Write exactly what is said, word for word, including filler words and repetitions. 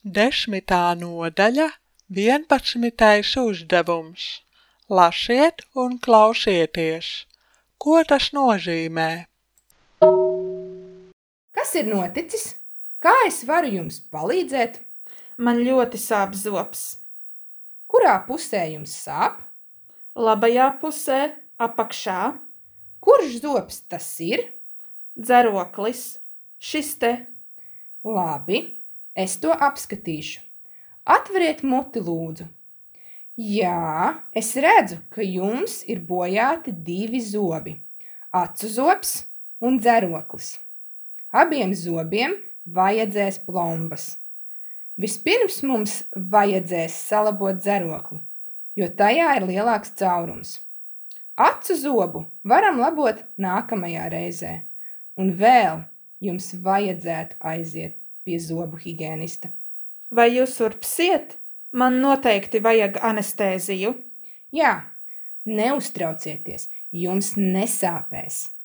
Desmitā nodaļa, vienpadsmitais uzdevums. Lasiet un klausieties. Ko tas nozīmē? Kas ir noticis? Kā es varu jums palīdzēt? Man ļoti sāp zobs. Kurā pusē jums sāp? Labajā pusē, apakšā. Kurš zobs tas ir? Dzeroklis. Šis te. Labi, es to apskatīšu. Atveriet muti, lūdzu. Jā, es redzu, ka jums ir bojāti divi zobi. Acu zobs un dzeroklis. Abiem zobiem vajadzēs plombas. Vispirms mums vajadzēs salabot dzerokli, jo tajā ir lielāks caurums. Acu zobu varam labot nākamajā reizē. Un vēl jums vajadzētu aiziet pie zobu higienista. Vai jūs urpsiet? Man noteikti vajag anestēziju. Jā, neuztraucieties, jums nesāpēs.